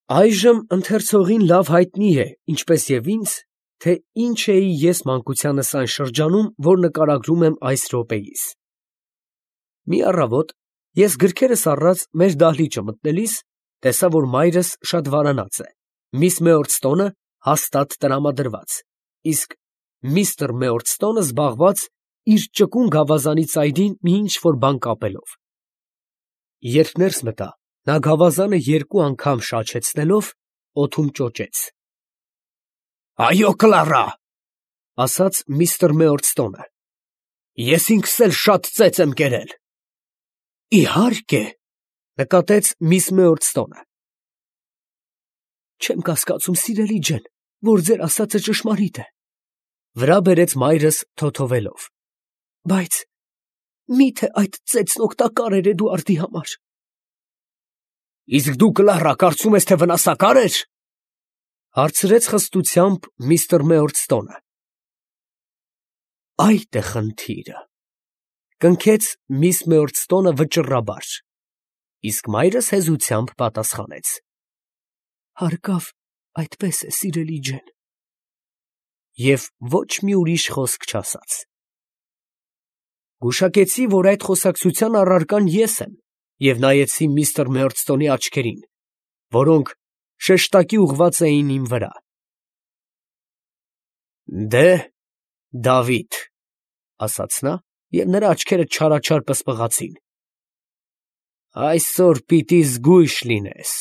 Այժմ ընթերցողին լավ հայտնի է, ինչպես և ինձ, թե ինչ էի ես մանկությանս այն շրջանում, որ նկարագրում եմ այս րոպեիս։ Մի առավոտ ես գրքերս առած մեր դահլիճը մտնելիս, տեսա, որ մայրս շատ վարանած է, միս Մեորդստոնը հաստատ տրամադրված, իսկ միստր Մեորդստոնը զբաղված իր ճկուն գավազանի ծայրին մի ինչ֊որ բան կապելով։ Երբ ներս մտա, նա գավազանը երկու անգամ շաչեցնելով, օդում ճոճեց։ «Այո, Կլարա, ֊ ասաց միստր Մեորդստոնը, ֊ ես ինքս էլ շատ ծեծ եմ կերել»։ «Իհարկե, ֊ նկատեց միս Մեորդստոնը։ ֊ Չեմ կասկածում, սիրելի ջան, որ ձեր ասածը ճշմարիտ է, ֊ վրա բերեց մայրս թոթովելով, ֊ բայց մի՞թե այդ ծեծն օգտակար էր Էդուարդի համար։ Իսկ դու, Կլարա, կարծում ես, թե վնասակար էր, ֊ հարցրեց խստությամբ միստր Մեորդստոնը։ Այդ է խնդիրը, ֊ կնքեց միս Մեորդստոնը վճռաբար, իսկ մայրս հեզությամբ պատասխանեց. Հարկավ այդպես է, սիրելի ջան։ Եվ ոչ մի ուրիշ խոսք չասաց։ Գուշակեցի, որ այդ խոսակցության առարկան ես եմ, և նայեցի միստր Մեորդստոնի աչքերին, որոնք շեշտակի ուղղված էին իմ վրա։ Դե, Դավիթ, ֊ ասաց նա, և նրա աչքերը չարաչար պսպղացին, ֊ այսօր պիտի զգույշ լինես։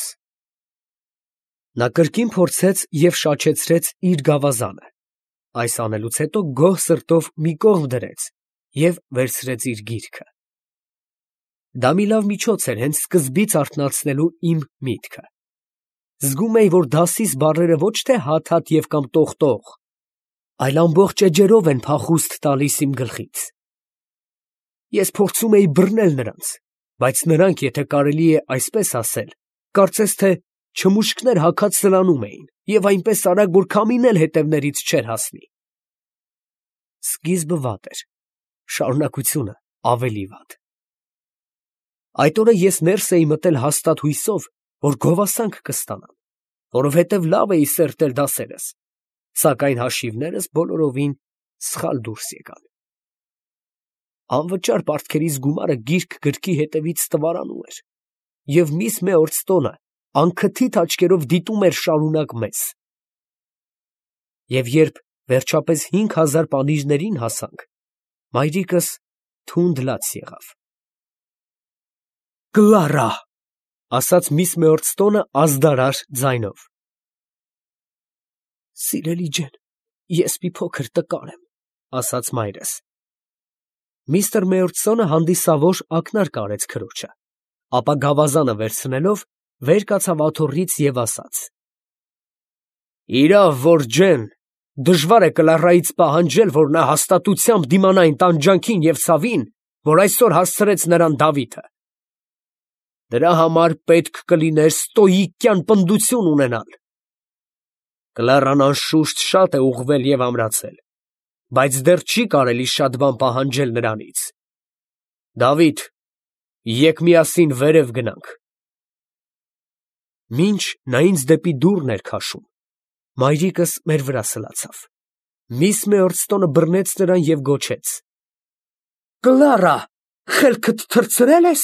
Նա կրկին փորձեց և շաչեցրեց իր գավազանը, այս անելուց հետո գոհ սրտով մի կողմ դրեց և վերցրեց իր գիրքը։ Դա մի լավ միջոց էր հենց սկզբից արթնացնելու իմ միտքը։ Զգում էի, որ դասիս բառերը ոչ թե հատ-հատ և կամ տող-տող, այլ ամբողջ էջերով են փախուստ տալիս իմ գլխից։ Ես փորձում էի բռնել նրանց, բայց նրանք, եթե կարելի է այսպես ասել, կարծես թե չմուշկներ հագած սլանում էին և այնպես արագ, որ քամին էլ հետևներից չէր հասնի։ Սկիզբը վատ էր, շարունակությունը ավելի վատ։ Այդ օրը ես ներս էի մտել հաստատ հույսով, որ գովասանք կստանամ, որովհետև լավ էի սերտել դասերս, սակայն հաշիվներս բոլորովին սխալ դուրս եկան։ Անվճար պարտքերիս գումարը գիրք գրքի հետևից ստվարանում էր, և միս Մեորդստոնը անքթիթ աչքերով դիտում էր շարունակ մեզ։ Եվ երբ վերջապես 5000 պանիրներին հասանք, մայրիկս թունդ լաց եղավ։ Կլարա, ֊ ասաց միս Մեորդստոնը ազդարար ձայնով, ֊ սիրելի ջան, ես մի փոքր տկար եմ, ֊ ասաց մայրս։ Միստր Մեորդստոնը հանդիսավոր ակնարկ արեց քրոջը, ապա գավազանը վերցնելով, վեր կացավ աթոռից և ասաց. Իրավ, որ ջեն, դժվար է Կլարայից պահանջել, որ նա հաստատությամբ դիմանա այն տանջանքին և ցավին, որ այսօր հասցրեց նրան Դավիթը։ Դրա համար պետք կլիներ ստոիկյան պնդություն ունենալ։ Կլարան անշուշտ շատ է ուղղվել և ամրացել, բայց դեռ չի կարելի շատ բան պահանջել նրանից։ Դավիթ, եկ միասին վերև գնանք։ Մինչ նա ինձ դեպի դուռն էր քաշում, մայրիկս մեր վրա սլացավ։ Միս Մեորդստոնը բռնեց նրան և գոչեց. Կլարա, խելքդ թռցրել ես։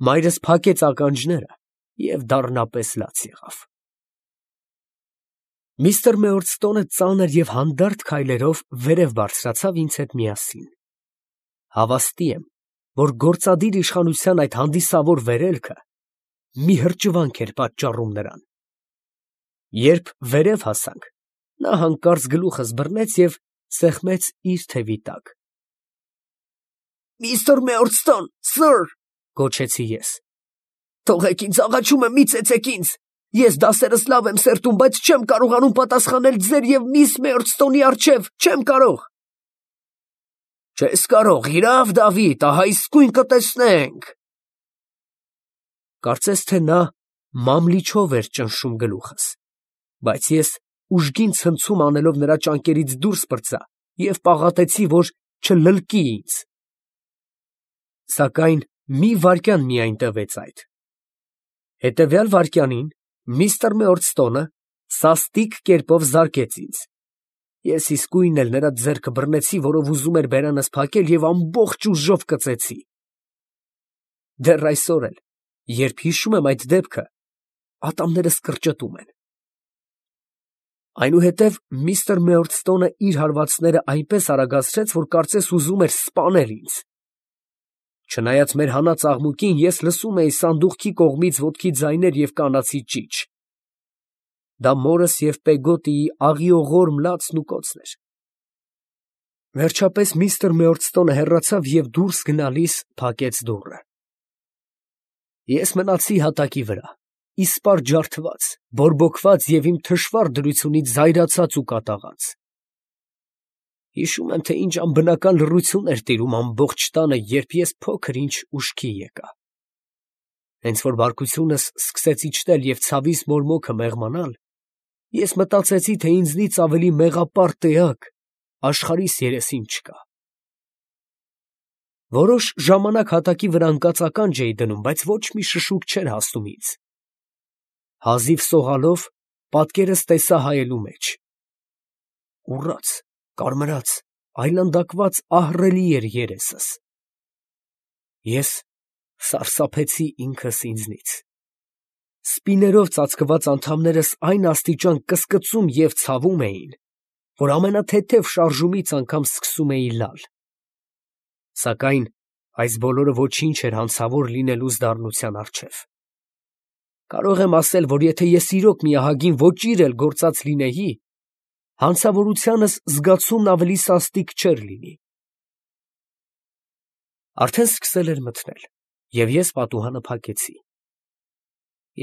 Մայրս փակեց ականջները և դառնապես լաց եղավ։ Միստր Մեորդստոնը ծանր և հանդարտ քայլերով վերև բարձրացավ ինձ հետ միասին։ Հավաստի եմ, որ գործադիր իշխանության այդ հանդիսավոր վերելքը մի հրճվանք էր պատճառում նրան։ Երբ վերև հասանք, նա հանկարծ գլուխս բռնեց և սեղմեց իր թևի տակ։ Միստր Մեորդստոն, սըր, գոչեցի ես, թողեք ինձ, աղաչում եմ, մի ծեծեք ինձ, ես դասերս լավ եմ սերտում, բայց չեմ կարողանում պատասխանել ձեր և միս Մեորդստոնի առջև, չեմ կարող։ Չես կարող, իրավ, Դավիթ, ահա իսկույն կտեսնենք։ Կարծես թե նա մամլիչով էր ճնշում գլուխս, բայց ես ուժգին ցնցում անելով նրա ճանկերից դուրս պրծա և պաղատեցի, որ չլլկի ինձ։ Սակայն մի վայրկյան միայն տևեց այդ։ Հետևյալ վայրկյանին միստր Մեորդստոնը սաստիկ կերպով զարկեց ինձ։ Ես իսկույն էլ նրա ձեռքը բռնեցի, որով ուզում էր բերանս փակել, և ամբողջ ուժով կծեցի։ Դեռ այսօր էլ, երբ հիշում եմ այդ դեպքը, ատամներս կրճտում են։ Այնուհետև միստր Մեորդստոնը իր հարվածները այնպես արագացրեց, որ կարծես ուզում էր սպանել ինձ։ Չնայած մեր հանած աղմուկին, ես լսում էի սանդուղքի կողմից ոտքի ձայներ և կանացի ճիչ։ Դա մորս և Պեգոտիի աղիողոր մլացն ու կոծն էր։ Վերջապես միստր Մեորդստոնը հեռացավ և դուրս գնալիս փակեց դուռը։ Ես մնացի հատակի վրա, իսպառ ջարդված, բորբոքված և իմ թշվառ դրությունից զայրացած ու կատաղած։ Հիշում եմ, թե ինչ անբնական լռություն էր տիրում ամբողջ տանը, երբ ես փոքր ինչ ուշքի եկա։ Հենց որ բարկությունս սկսեց իջնել և ցավիս մորմոքը մեղմանալ, ես մտածեցի, թե ինձնից ավելի մեղապարտ էակ աշխարհիս երեսին չկա։ Որոշ ժամանակ հատակի վրա ընկած ականջ էի դնում, բայց ոչ մի շշուկ չէր հասնում ինձ։ Հազիվ սողալով պատկերս տեսա հայելու մեջ։ Ուռած, կարմրած, այլանդակված ահռելի էր երեսս։ Ես սարսափեցի ինքս ինձնից։ Սպիներով ծածկված անդամներս այն աստիճան կսկծում և ցավում էին, որ ամենաթեթև շարժումից անգամ սկսում էի լալ։ Սակայն այս բոլորը ոչինչ էր հանցավոր լինելուս դառնության առջև։ Կարող եմ ասել, որ եթե ես իրոք մի ահագին ոճիր էլ գործած լինեի, հանցավորությանս զգացումն ավելի սաստիկ չէր լինի։ Արդեն սկսել էր մթնել, և ես պատուհանը փակեցի։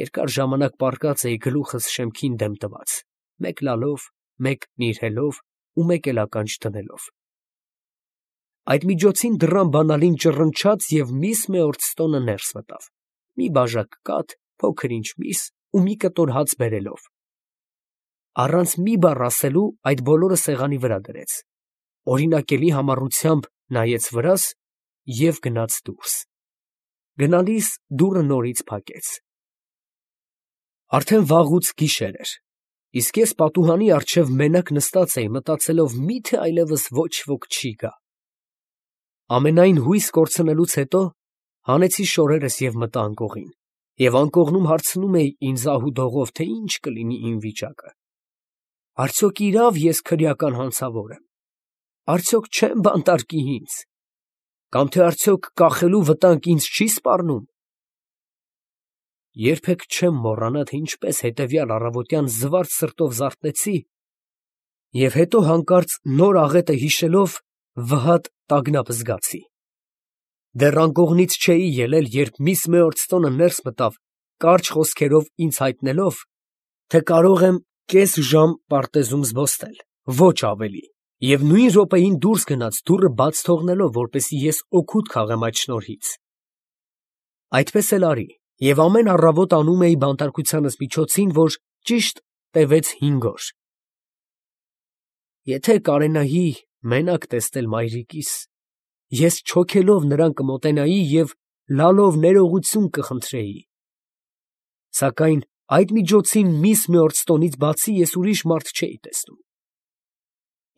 Երկար ժամանակ պառկած էի գլուխս շեմքին դեմ տված, մեկ լալով, մեկ նիրհելով ու մեկ էլ ականջ դնելով։ Այդ միջոցին դռան բանալին ճռնչաց, և միս Մեորդստոնը ներս մտավ, մի բաժակ կաթ, փոքր ինչ միս ու մի կտոր հաց բերելով։ Առանց մի բառ ասելու այդ բոլորը սեղանի վրա դրեց, օրինակելի համառությամբ նայեց վրաս և գնաց դուրս։ Գնալիս դուռը նորից փակեց։ Արդեն վաղուց գիշեր էր, իսկ ես պատուհանի առջև մենակ նստած էի, մտածելով մի՞թե այլևս ոչ ոք չի գա։ Ամենայն հույս կորցնելուց հետո հանեցի շորերս և մտա անկողին, և անկողնում հարցնում էի ինձ ահ֊ու֊դողով, թե ինչ կլինի իմ վիճակը։ Արդյոք իրավ ես քրեական հանցավոր եմ, արդյոք չեմ բանտարկի ինձ, կամ թե արդյոք կախելու վտանգ ինձ չի սպառնում։ Երբեք չեմ մոռանա, թե ինչպես հետևյալ առավոտյան զվարթ սրտով զարթնեցի և հետո հանկարծ նոր աղետը հիշելով վհատ տագնապ զգացի։ Դեռ անկողնից չէի ելել, երբ միս Մեորդստոնը ներս մտավ, կարճ խոսքերով ինձ հայտնելով, թե կարող եմ կես ժամ պարտեզում զբոսնել, ոչ ավելի, և նույն րոպեին դուրս գնաց, դուռը բաց թողնելով, որպեսզի ես օգուտ քաղեմ այդ շնորհից։ Այդպես էլ արի, և ամեն առավոտ անում էի բանտարկությանս միջոցին, որ ճիշտ տևեց 5 օր։ Եթե կարենայի մենակ տեսնել մայրիկիս, ես չոքելով նրան կմոտենայի և լալով ներողություն կխնդրեի։ Սակայն այդ միջոցին միս Մեորդստոնից բացի ես ուրիշ մարդ չէի տեսնում։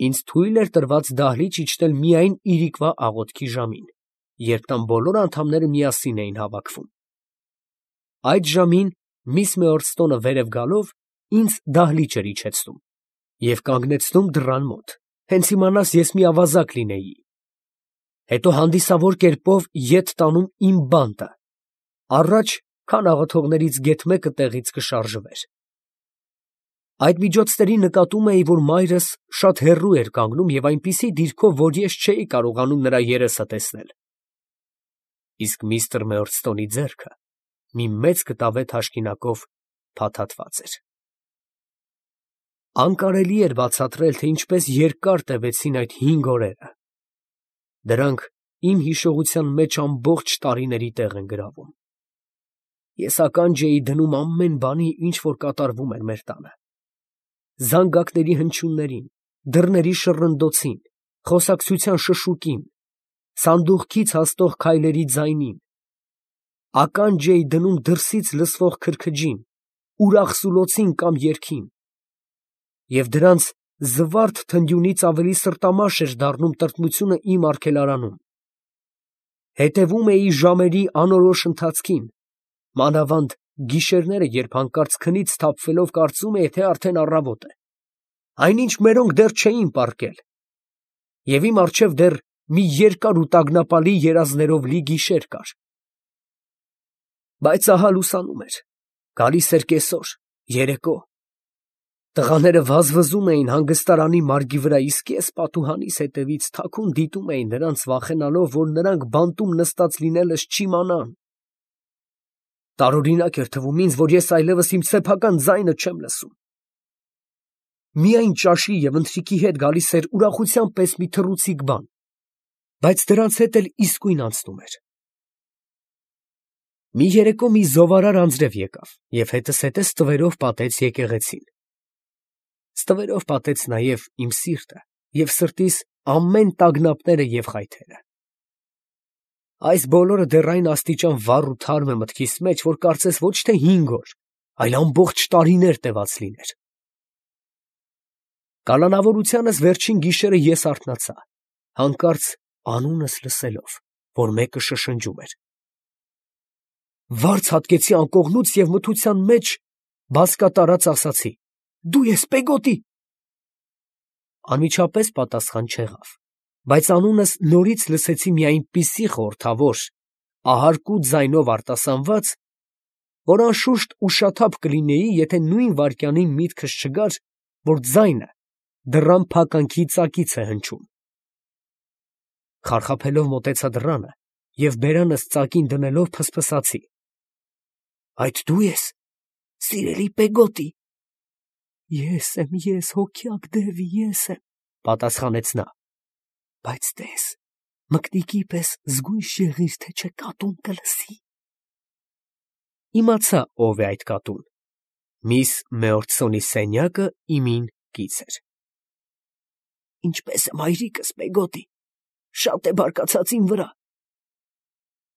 Ինձ թույլ էր տրված դահլիճ իջնել միայն իրիկվա աղոթքի ժամին, երբ տան բոլոր անդամները միասին էին հավաքվում։ Այդ ժամին միս Մեորդստոնը վերև գալով ինձ դահլիճ էր իջեցնում և կանգնեցնում դռան մոտ, հենց իմանաս ես մի ավազակ լինեի։ Հետո հանդիսավոր կերպով ետ տանում իմ բանտը, առաջ, քան աղոթողներից գեթ մեկը տեղից կշարժվեր։ Այդ միջոցների նկատում էի, որ մայրս շատ հեռու էր կանգնում և այնպիսի դիրքով, որ ես չէի կարողանում նրա երեսը տեսնել։ Իսկ միստր Մեորդստոնի ձեռքը մի մեծ կտավե թաշկինակով փաթաթված էր։ Անկարելի էր բացատրել, թե ինչպես երկար տևեցին այդ 5 օրերը։ Դրանք իմ հիշողության մեջ ամբողջ տարիների տեղ են գրավում։ Ես ականջ էի դնում ամեն բանի, ինչ որ կատարվում էր մեր տանը. զանգակների հնչյուններին, դռների շռնդոցին, խոսակցության շշուկին, սանդուղքից հասնող քայլերի ձայնին, ականջ էի դնում դրսից լսվող քրքջին, ուրախ սուլոցին կամ երգին, և դրանց զվարթ թնդյունից ավելի սրտամաշ էր դառնում տրտմությունը իմ արգելարանում։ Հետևում էի ժամերի անորոշ ընթացքին, մանավանդ գիշերները, երբ հանկարծ քնից սթափվելով կարծում էի, թե արդեն առավոտ է, այնինչ մերոնք դեռ չէին պառկել, և իմ առջև դեռ մի երկար ու տագնապալի երազներով լի գիշեր կար։ Բայց ահա լուսանում էր, գալիս էր կեսօր, երեկո, տղաները վազվզում էին հանգստարանի մարգի վրա, իսկ ես պատուհանիս հետևից թաքուն դիտում էի նրանց, վախենալով, որ նրանք բանտում նստած լինելս չիմանան։ Տարօրինակ էր թվում ինձ, որ ես այլևս իմ սեփական ձայնը չեմ լսում։ Միայն ճաշի և ընթրիքի հետ գալիս էր ուրախության պես մի թռուցիկ բան, բայց դրանց հետ էլ իսկույն անցնում էր։ Մի երեկո մի զովարար անձրև եկավ և հետզհետե ստվերով պատեց եկեղեցին։ Ստվերով պատեց նաև իմ սիրտը և սրտիս ամեն տագնապները և խայթերը։ Այս բոլորը դեռ այն աստիճան վառ ու թարմ է մտքիս մեջ, որ կարծես ոչ թե 5 օր, այլ ամբողջ տարիներ տևած լիներ։ Կալանավորությանս վերջին գիշերը ես արթնացա, հանկարծ անունս լսելով, որ մեկը շշնջում էր։ Վարձ հատկեցի անկողնուց և մթության մեջ բազկատարած ասացի. «Դու ես Պեգոտի»։ Անմիջապես պատասխան չեղավ, բայց անունս նորից լսեցի մի այնպիսի խորհրդավոր, ահարկու ձայնով արտասանված, որ անշուշտ ուշաթափ կլինեի, եթե նույն վայրկյանին միտքս չգար, որ ձայնը դռան փականքի ծակից է հնչում։ Խարխափելով մոտեցա դռանը և բերանս ծակին դնելով փսփսացի. «Այդ դու ես, սիրելի Պեգոտի»։ «Ես եմ, ես, հոգյակ դևի, ես եմ», պատասխանեց նա, «բայց տես, մկնիկի պես զգույշ եղիր, թե չէ կատուն կլսի»։ Իմացա ով է այդ կատուն. միս Մեորցոնի սենյակը իմին կից էր։ «Ինչպե՞ս է մայրիկս, Պեգոտի, շատ է բարկացած իմ վրա»։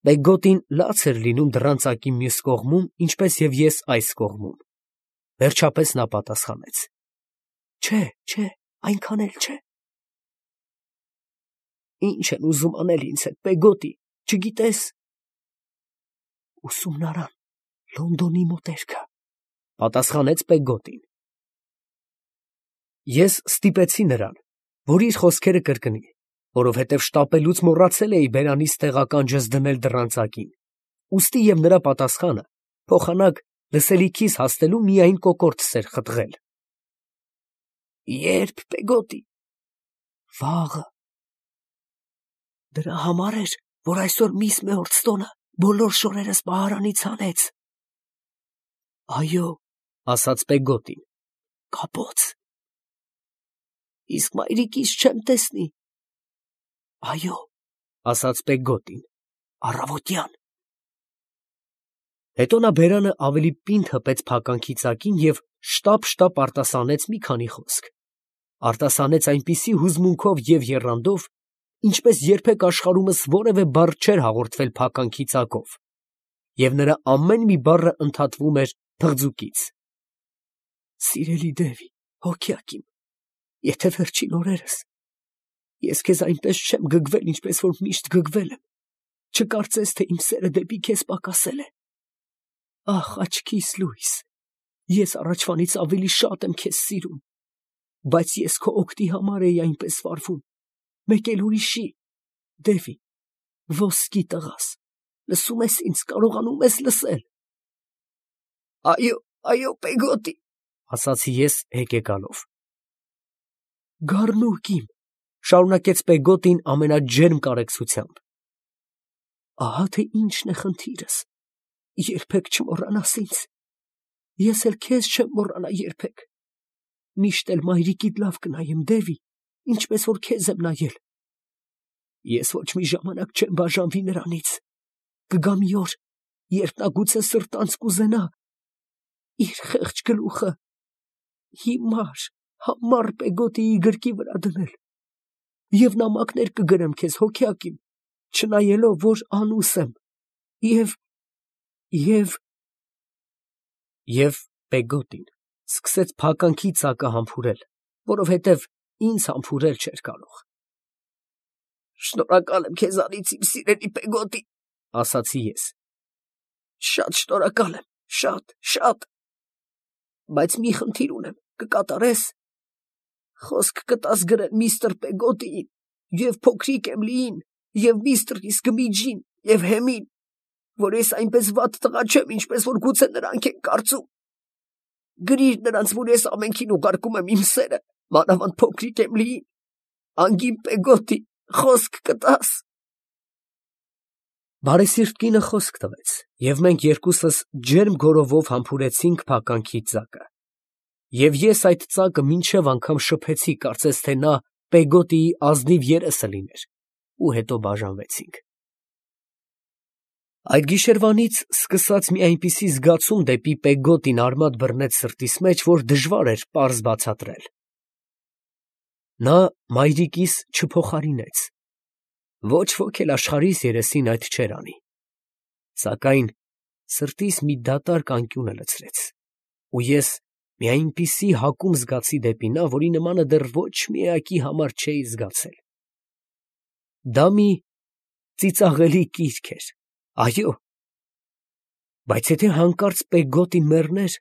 Պեգոտին լաց էր լինում դռան ծակի մյուս կողմում, ինչպես և ես այս կողմում։ Վերջապես նա պատասխանեց. Չէ, այնքան էլ չէ։ Ի՞նչ են ուզում անել ինձ հետ, Պեգոտի, չգիտես։ Ուսումնարան, Լոնդոնի մոտերքը, պատասխանեց Պեգոտին։ Ես ստիպեցի նրան, որ իր խոսքերը կրկնի, որովհետև շտապելուց մոռացել էի բերանիս տեղականջս դնել դռան ծակին, ուստի և նրա պատասխանը փոխանակ լսելիքիս հասնելու միայն կոկորդս էր խտղել։ Ե՞րբ, Պեգոտի։ Վաղը։ Դրա համար էր, որ այսօր միս Մեորցտոնը բոլոր շորերս պահարանից հանեց։ Այո, ասաց Պեգոտին, կապոց։ Իսկ մայրիկիս չեմ տեսնի։ Այո, ասաց Պեգոտին, առավոտյան։ Հետո նա բերանը ավելի պինդ հպեց փականքի ծակին և շտապ արտասանեց մի քանի խոսք։ Արտասանեց այնպիսի հուզմունքով և եռանդով, ինչպես երբեք աշխարհումս որևէ բառ չէր հաղորդվել փականքի ծակով, և նրա ամեն մի բառը ընդհատվում էր փղձուկից։ Սիրելի Դևի, հոգյակ իմ, եթե վերջին օրերս ես քեզ այնպես չեմ գգվել, ինչպես որ միշտ գգվել եմ, չկարծես, թե իմ սերը դեպի քեզ պակասել է։ Ախ, աչքիս լույս, ես առաջվանից ավելի շատ եմ քեզ սիրում, բայց ես քո օգտի համար էի այնպես վարվում, մեկ էլ ուրիշի, Դևի, ոսկի տղաս, լսում ես ինձ, կարողանում ես լսել։ Այո, Պեգոտի, ասացի ես հեկեկալով։ Գառնուկ իմ, շարունակեց Պեգոտին ամենաջերմ կարեկցությամբ։ Ահա թե ինչն է խնդիրս, երբեք չմոռանաս ինձ, ես էլ քեզ չեմ մոռանա երբեք, միշտ էլ մայրիկիդ լավ կնայեմ, Դևի, ինչպես որ քեզ եմ նայել։ Ես ոչ մի ժամանակ չեմ բաժանվի նրանից, կգա մի օր, երբ նա գուցե սրտանց կուզենա իր խեղճ գլուխը համառ Պեգոտիի գրկի վրա դնել, և նամակներ կգրեմ քեզ, հոգյակ իմ, չնայելով, որ անուս եմ, և Եվ Պեգոտին սկսեց փականքի ծակը համբուրել, որովհետև ինձ համբուրել չէր կարող։ Շնորհակալ եմ քեզանից, իմ սիրելի Պեգոտի, ասացի ես։ շատ շնորհակալ եմ, շատ։ Բայց մի խնդիր ունեմ, կկատարես։ Խոսք կտաս գրել միստր Պեգոտիին և փոքրիկ Էմիլիին և միստր Իսկմիջին և Հեմին, որ ես այնպես վատ տղա չեմ, ինչպես որ գուցե նրանք են կարծում։ Գրիր նրանց, որ ես ամենքին ուղարկում եմ իմ սերը, մանավանդ փոքրիկ Էմիլիին։ Անգին Պեգոտի, խոսք կտաս։ Բարեսիրտ կինը խոսք տվեց, և մենք երկուսս ջերմ գորովով համբուրեցինք փականքի ծակը։ Եվ ես այդ ծակը մինչև անգամ շփեցի, կարծես թե նա Պեգոտիի ազնիվ երեսը լիներ, ու հետո բաժանվեցինք։ Այդ գիշերվանից սկսած մի այնպիսի զգացում դեպի Պեգոտին արմատ բռնեց սրտիս մեջ, որ դժվար էր պարզ բացատրել։ Նա մայրիկիս չփոխարինեց, ոչ ոք էլ աշխարհիս երեսին այդ չէր անի, սակայն սրտիս մի դատարկ անկյուն լցրեց, ու ես մի այնպիսի հակում զգացի դեպի նա, որի նմանը դեռ ոչ մի էակի համար չէի զգացել։ Դա մի ծիծաղելի կիրք էր, այո, բայց եթե հանկարծ Պեգոտին մեռներ,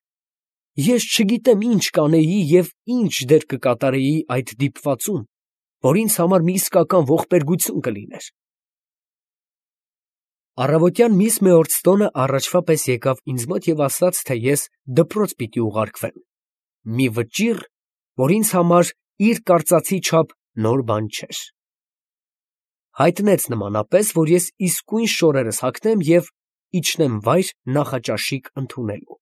ես չգիտեմ ինչ կանեի և ինչ դեր կկատարեի այդ դիպվածում, որ ինձ համար մի իսկական ողբերգություն կլիներ։ Առավոտյան միս Մեորցտոնը առաջվա պես եկավ ինձ մոտ և ասաց, թե ես դպրոց պիտի ուղարկվեմ, մի վճիռ, որ ինձ համար իր կարծածի չափ նոր բան չէր։ Հայտնեց նմանապես, որ ես իսկույն շորերս հագնեմ և իջնեմ վայր նախաճաշիկ ընդունելու։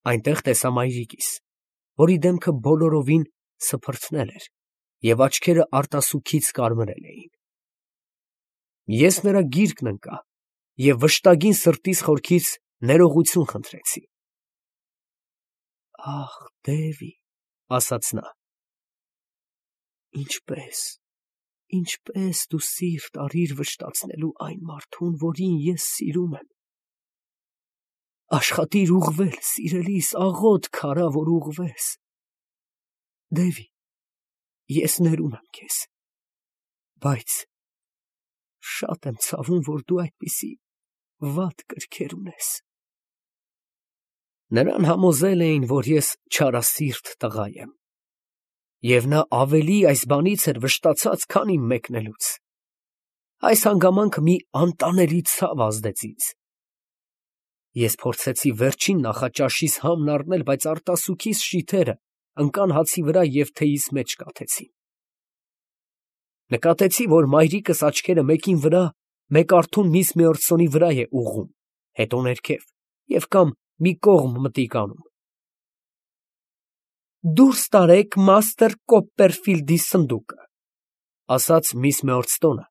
Այնտեղ տեսա մայրիկիս, որի դեմքը բոլորովին սփռթնել էր, և աչքերը արտասուքից կարմրել էին։ Ես նրա գիրկն ընկա և վշտագին սրտիս խորքից ներողություն խնդրեցի։ «Ախ, Դևի, ֊ ասաց նա, ֊ ինչպես դու սիրտ արիր վշտացնելու այն մարդուն, որին ես սիրում եմ։ Աշխատիր ուղղվել, սիրելիս, աղոթք արա, որ ուղղվես։ Դևի, ես ներում եմ քեզ, բայց շատ եմ ցավում, որ դու այդպիսի վատ կրքեր ունես»։ Նրան համոզել էին, որ ես չարասիրտ տղա եմ, և նա ավելի այս բանից էր վշտացած, քան իմ մեկնելուց։ Այս հանգամանքը մի անտանելի ցավ ազդեց ինձ։ Ես փորձեցի վերջին նախաճաշիս համն առնել, բայց արտասուքիս շիթերը ընկան հացի վրա և թեյիս մեջ կաթեցին։ Նկատեցի, որ մայրիկս աչքերը մեկին վրա, մեկ արթուն միս Մեորցոնի վրա է ուղղում, հետո ներքև և կամ մի կողմ մտիկ անում։ «Դուրս տարեք մաստր Կոպպերֆիլդի սնդուկը», ֊ ասաց միս Մեորցտոնը,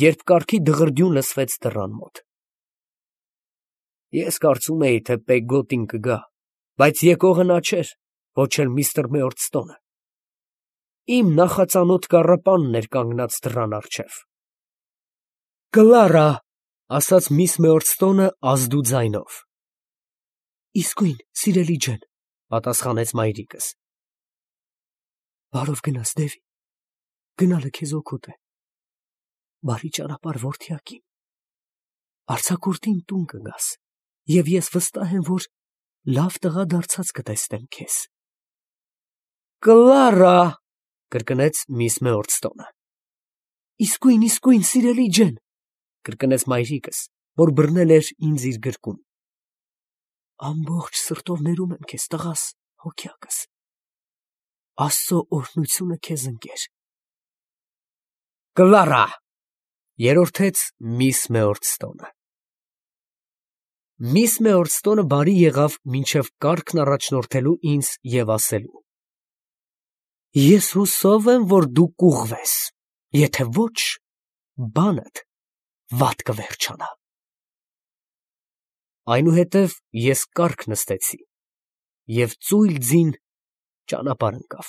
երբ կառքի դղրդյուն լսվեց դռան մոտ։ Ես կարծում էի, թե Պեգոտին կգա, բայց եկողը նա չէր, ոչ էլ միստր Մեորցտոնը։ Իմ նախածանոթ կառապանն էր կանգնած դռան առջև։ «Կլարա», ֊ ասաց միս Մեորցտոնը ազդու ձայնով։ «Իսկույն, սիրելի ջան», ֊ պատասխանեց մայրիկս։ «Բարով գնաս, Դևի, գնալը քեզ օգուտ է։ Բարի ճանապարհ, որդյակ իմ։ Արձակուրդին տուն կգաս, և ես վստահ եմ, որ լավ տղա դարձած կտեսնեմ քեզ»։ «Կլարա», ֊ կրկնեց միս Մեորցտոնը։ «Իսկույն, սիրելի ջան», ֊ կրկնեց մայրիկս, որ բռնել էր ինձ իր գրկում։ «Ամբողջ սրտով ներում եմ քեզ, տղաս, հոգյակս։ Աստծո օրհնությունը քեզ ընկեր»։ «Կլարա», ֊ երորդեց միս Մեորցտոնը։ Միս Մեորցտոնը բարի եղավ մինչև կառքն առաջնորդելու ինձ և ասելու. «Ես հուսով եմ, որ դու կուղղվես, եթե ոչ, բանդ վատ կվերջանա»։ Այնուհետև ես կառք նստեցի և ծույլ ձին ճանապարհ ընկավ։